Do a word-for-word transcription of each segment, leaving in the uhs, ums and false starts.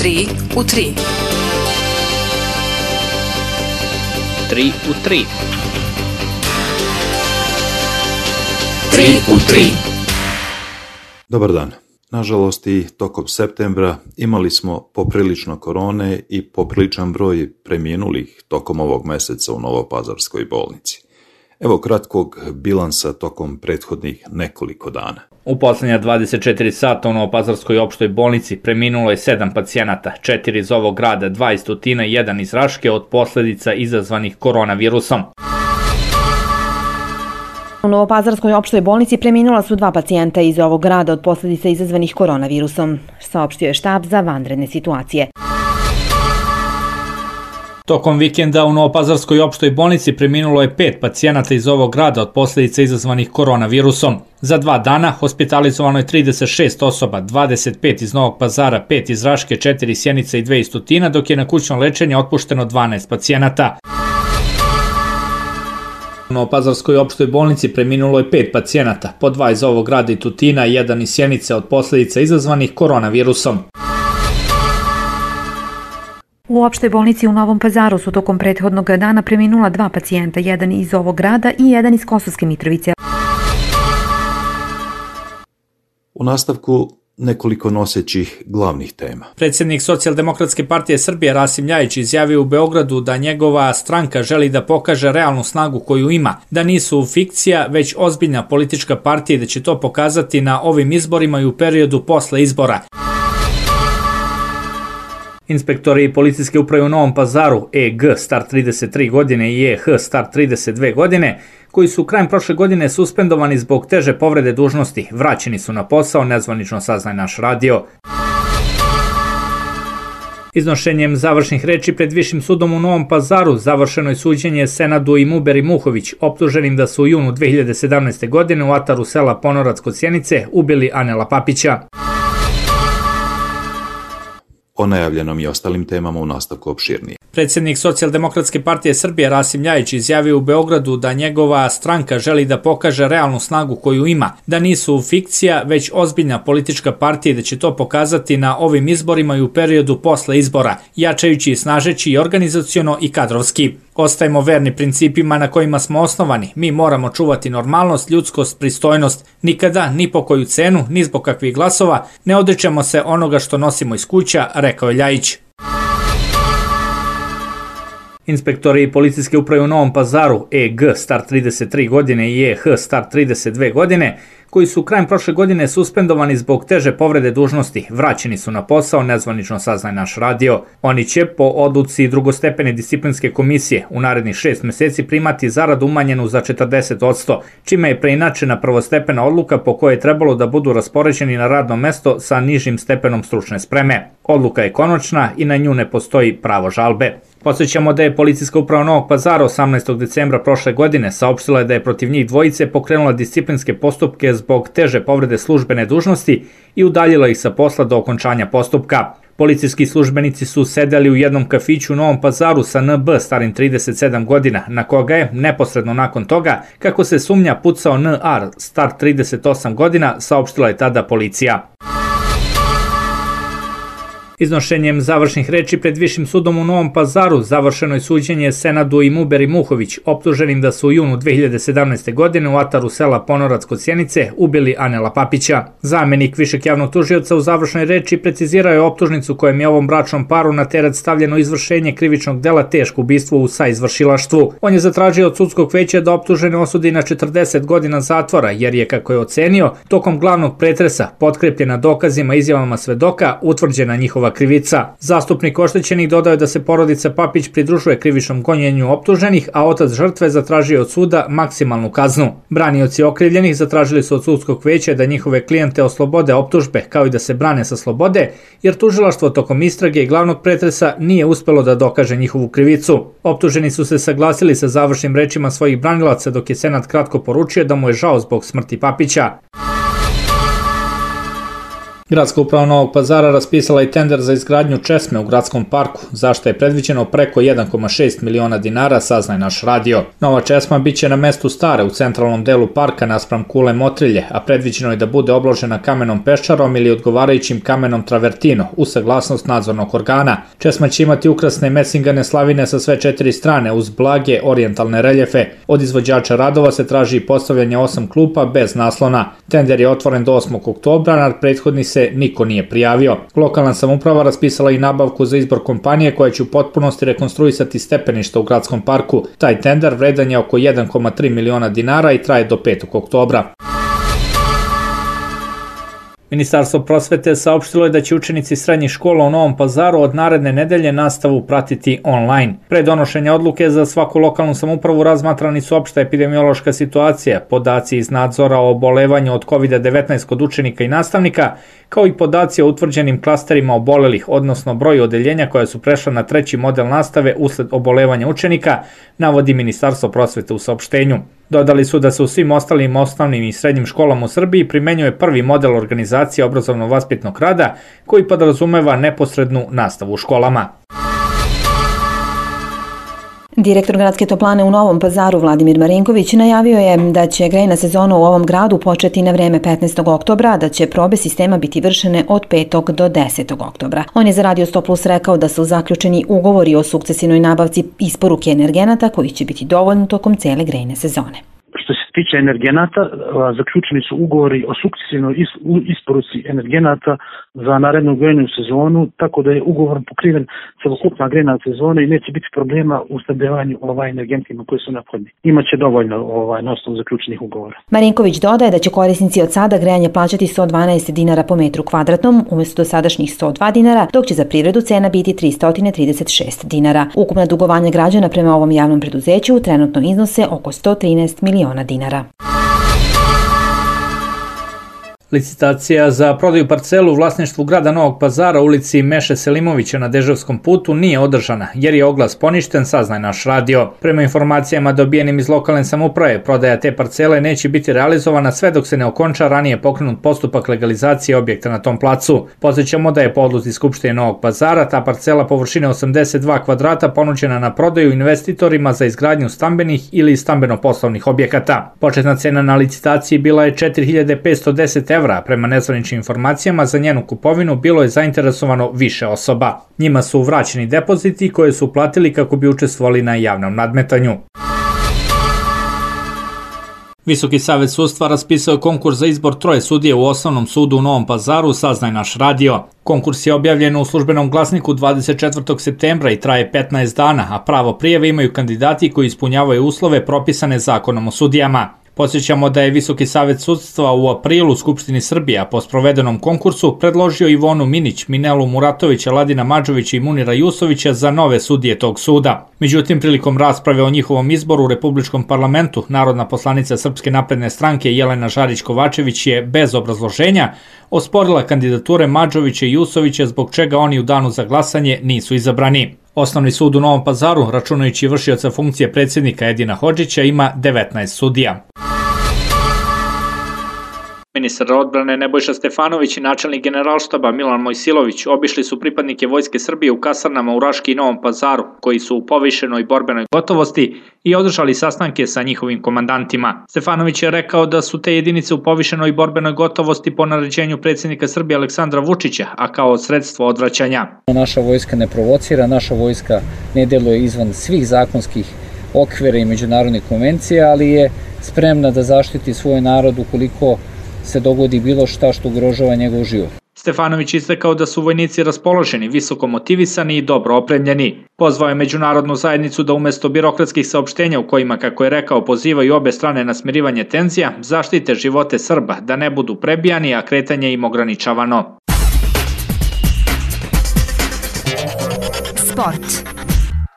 tri u tri. tri u tri. tri u tri. Dobar dan. Nažalost, i tokom septembra imali smo poprilično korone i popriličan broj preminulih tokom ovog meseca u Novopazarskoj bolnici. Evo kratkog bilansa tokom prethodnih nekoliko dana. U poslednja dvadeset četiri sata u Novopazarskoj opštoj bolnici preminulo je sedam pacijenata, četiri iz ovog grada, dva iz Tutina i jedan iz Raške od posledica izazvanih koronavirusom. U Novopazarskoj opštoj bolnici preminula su dva pacijenta iz ovog grada od posledica izazvanih koronavirusom, saopštio je štab za vanredne situacije. Tokom vikenda u Novopazarskoj opštoj bolnici preminulo je pet pacijenata iz ovog grada od posledica izazvanih koronavirusom. Za dva dana hospitalizovano je trideset šest osoba, dvadeset pet iz Novog Pazara, pet iz Raške, četiri iz Sjenice i dve iz Tutina, dok je na kućno lečenje otpušteno dvanaest pacijenata. U Novopazarskoj opštoj bolnici preminulo je pet pacijenata, po dva iz ovog grada i Tutina i jedan iz Sjenice od posledica izazvanih koronavirusom. U opštoj bolnici u Novom Pazaru su tokom prethodnog dana preminula dva pacijenta, jedan iz ovog grada i jedan iz Kosovske Mitrovice. U nastavku nekoliko nosećih glavnih tema. Predsjednik Socijaldemokratske partije Srbije Rasim Ljajić izjavio u Beogradu da njegova stranka želi da pokaže realnu snagu koju ima, da nisu fikcija, već ozbiljna politička partija i da će to pokazati na ovim izborima i u periodu posle izbora. Inspektori policijske uprave u Novom Pazaru E G star trideset tri godine i E H star trideset dve godine, koji su krajem prošle godine suspendovani zbog teže povrede dužnosti, vraćeni su na posao, nezvanično saznaje naš radio. Iznošenjem završnih reči pred Višim sudom u Novom Pazaru završeno je suđenje Senadu i Muberi Muhović, optuženim da su u junu dve hiljade sedamnaeste. godine u ataru sela Ponorac kod Sjenice ubili Anela Papića. O najavljenom i ostalim temama u nastavku opširnije. Predsjednik Socijaldemokratske partije Srbije Rasim Ljajić izjavio u Beogradu da njegova stranka želi da pokaže realnu snagu koju ima, da nisu fikcija, već ozbiljna politička partija i da će to pokazati na ovim izborima i u periodu posle izbora, jačajući i snažeći i organizaciono i kadrovski. Ostajemo verni principima na kojima smo osnovani. Mi moramo čuvati normalnost, ljudskost, pristojnost. Nikada, ni po koju cenu, ni zbog kakvih glasova, ne odričemo se onoga što nosimo iz kuća, rekao je Ljajić. Inspektori policijske uprave u Novom Pazaru E G star trideset tri godine i E H star trideset dve godine, koji su krajem prošle godine suspendovani zbog teže povrede dužnosti, vraćeni su na posao, nezvanično saznaje naš radio. Oni će po odluci drugostepene disciplinske komisije u narednih šest meseci primati zaradu umanjenu za četrdeset posto, čime je preinačena prvostepena odluka po kojoj je trebalo da budu raspoređeni na radno mesto sa nižim stepenom stručne spreme. Odluka je konačna i na nju ne postoji pravo žalbe. Podsjećamo da je policijska uprava Novog Pazara osamnaestog decembra prošle godine saopštila da je protiv njih dvojice pokrenula disciplinske postupke zbog teže povrede službene dužnosti i udaljila ih sa posla do okončanja postupka. Policijski službenici su sedeli u jednom kafiću u Novom Pazaru sa N B starim trideset sedam godina, na koga je, neposredno nakon toga, kako se sumnja pucao N R star trideset osam godina, saopštila je tada policija. Iznošenjem završnih reči pred Višim sudom u Novom Pazaru završeno je suđenje Senadu i Muberi Muhović, optuženim da su u junu dve hiljade sedamnaeste. godine u ataru sela Ponorac kod Sjenice ubili Anela Papića. Zamenik višeg javnog tužioca u završnoj reči precizirao je optužnicu kojem je ovom bračnom paru na teret stavljeno izvršenje krivičnog dela teško ubistvo u saizvršilaštvu. On je zatražio od sudskog veća da optužene osudi na četrdeset godina zatvora, jer je, kako je ocenio, tokom glavnog pretresa, potkrepljena dokazima i izjavama svedoka, utvrđena njihova krivica. Zastupnik oštećenih dodao da se porodica Papić pridružuje krivičnom gonjenju optuženih, a otac žrtve zatražio od suda maksimalnu kaznu. Branioci okrivljenih zatražili su od sudskog veća da njihove klijente oslobode optužbe, kao i da se brane sa slobode, jer tužilaštvo tokom istrage i glavnog pretresa nije uspelo da dokaže njihovu krivicu. Optuženi su se saglasili sa završnim rečima svojih branilaca, dok je Senat kratko poručio da mu je žao zbog smrti Papića. Gradska uprava Novog Pazara raspisala i tender za izgradnju česme u gradskom parku, za što je predviđeno preko jedan zarez šest miliona dinara, saznaje naš radio. Nova česma biće na mestu stare u centralnom delu parka naspram kule Motrilje, a predviđeno je da bude obložena kamenom peščarom ili odgovarajućim kamenom travertino, uz saglasnost nadzornog organa. Česma će imati ukrasne mesingane slavine sa sve četiri strane uz blage orijentalne reljefe. Od izvođača radova se traži postavljanje osam klupa bez naslona. Tender je otvoren do osmog oktobra, na prethodni se niko nije prijavio. Lokalna samouprava raspisala i nabavku za izbor kompanije koja će u potpunosti rekonstruisati stepeništa u gradskom parku. Taj tender vredan je oko jedan zarez tri miliona dinara i traje do petog oktobra. Ministarstvo prosvete saopštilo je da će učenici srednjih škola u Novom Pazaru od naredne nedelje nastavu pratiti online. Pre donošenja odluke za svaku lokalnu samoupravu razmatrani su opšta epidemiološka situacija, podaci iz nadzora o obolevanju od kovid devetnaest kod učenika i nastavnika, kao i podaci o utvrđenim klasterima obolelih, odnosno broju odeljenja koja su prešla na treći model nastave usled obolevanja učenika, navodi Ministarstvo prosvete u saopštenju. Dodali su da se u svim ostalim osnovnim i srednjim školama u Srbiji primenjuje prvi model organizacije obrazovno-vaspitnog rada koji podrazumeva neposrednu nastavu u školama. Direktor gradske toplane u Novom Pazaru Vladimir Marinković najavio je da će grejna sezona u ovom gradu početi na vreme petnaestog oktobra, a da će probe sistema biti vršene od petog do desetog oktobra. On je za Radio sto plus rekao da su zaključeni ugovori o sukcesivnoj nabavci isporuke energenata koji će biti dovoljni tokom cele grejne sezone. Što se tiče energenata, zaključeni su ugovori o sukcesivnoj isporuci energenata za narednu grejnu sezonu, tako da je ugovor pokriven celokupna grejna sezona i neće biti problema u snabdevanju ovaj energentima koji su neophodni. Imaće dovoljno ovaj, na osnovu zaključenih ugovora. Marinković dodaje da će korisnici od sada grejanje plaćati sto dvanaest dinara po metru kvadratnom umjesto dosadašnjih sto dva dinara, dok će za privredu cena biti tristo trideset šest dinara. Ukupna dugovanja građana prema ovom javnom preduzeću trenutno iznose oko sto trinaest miliona dinara. Licitacija za prodaju parcelu u vlasništvu grada Novog Pazara u ulici Meše Selimovića na Deževskom putu nije održana, jer je oglas poništen, saznaje naš radio. Prema informacijama dobijenim iz lokalne samouprave, prodaja te parcele neće biti realizovana sve dok se ne okonča ranije pokrenut postupak legalizacije objekta na tom placu. Podsjećamo da je po odluci Skupštine Novog Pazara ta parcela površine osamdeset dva kvadrata ponuđena na prodaju investitorima za izgradnju stambenih ili stambeno-poslovnih objekata. Početna cena na licitaciji bila je četiri hiljade petsto deset evra. Prema nezvaničnim informacijama za njenu kupovinu bilo je zainteresovano više osoba. Njima su vraćeni depoziti koje su platili kako bi učestvovali na javnom nadmetanju. Visoki savet sudstva raspisao je konkurs za izbor troje sudije u Osnovnom sudu u Novom Pazaru, saznaje naš radio. Konkurs je objavljen u službenom glasniku dvadeset četvrtog septembra i traje petnaest dana, a pravo prijave imaju kandidati koji ispunjavaju uslove propisane zakonom o sudijama. Podsjećamo da je Visoki savet sudstva u aprilu Skupštini Srbije, a po sprovedenom konkursu, predložio Ivonu Minić, Minelu Muratovića, Ladina Madžovića i Munira Jusovića za nove sudije tog suda. Međutim, prilikom rasprave o njihovom izboru u Republičkom parlamentu, narodna poslanica Srpske napredne stranke Jelena Žarić-Kovačević je bez obrazloženja osporila kandidature Madžovića i Jusovića, zbog čega oni u danu za glasanje nisu izabrani. Osnovni sud u Novom Pazaru, računajući vršioca funkcije predsjednika Edina Hodžića, ima devetnaest sudija. Ministar odbrane Nebojša Stefanović i načelnik generalštaba Milan Mojsilović obišli su pripadnike Vojske Srbije u kasarnama u Raški i Novom Pazaru, koji su u povišenoj borbenoj gotovosti, i održali sastanke sa njihovim komandantima. Stefanović je rekao da su te jedinice u povišenoj borbenoj gotovosti po naređenju predsjednika Srbije Aleksandra Vučića, a kao sredstvo odvraćanja. Naša vojska ne provocira, naša vojska ne deluje izvan svih zakonskih okvira i međunarodnih konvencija, ali je spremna da zaštiti svoj narod ukoliko se dogodi bilo šta što ugrožava njegov život. Stefanović istakao da su vojnici raspoloženi, visoko motivisani i dobro opremljeni. Pozvao je međunarodnu zajednicu da umesto birokratskih saopštenja u kojima, kako je rekao, pozivaju obe strane na smirivanje tenzija, zaštite živote Srba, da ne budu prebijani, a kretanje im ograničavano. Sport.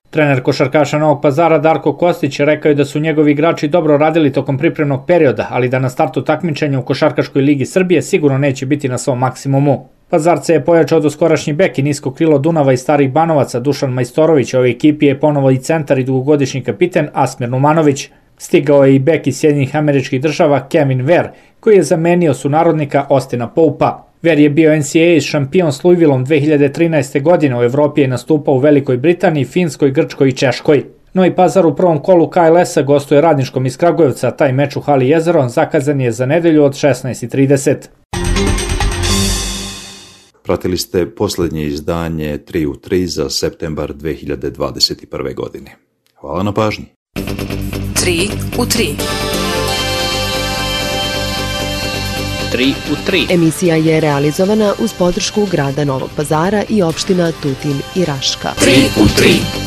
Trener košarkaša Novog Pazara Darko Kostić rekao je da su njegovi igrači dobro radili tokom pripremnog perioda, ali da na startu takmičenja u Košarkaškoj ligi Srbije sigurno neće biti na svom maksimumu. Pazarce je pojačao doskorašnji bek i nisko krilo Dunava i Starih Banovaca Dušan Majstorović, ovoj ekipi je ponovo i centar i dugogodišnji kapiten Asmir Numanović. Stigao je i bek iz Sjedinjenih Američkih Država Kevin Ver, koji je zamenio sunarodnika Ostina Poupa. Ver je bio N C A A šampion s Louisvilleom dve hiljade trinaeste. godine, u Evropi je nastupao u Velikoj Britaniji, Finskoj, Grčkoj i Češkoj. Novi Pazar u prvom kolu K L S-a gostuje Radničkom iz Kragujevca, taj meč u hali Jezero zakazan je za nedelju od šesnaest i trideset. Pratili ste posljednje izdanje tri u tri za septembar dve hiljade dvadeset prve. godine. Hvala na pažnji. tri u tri. tri u tri. Emisija je realizovana uz podršku grada Novog Pazara i opština Tutin i Raška. tri u tri.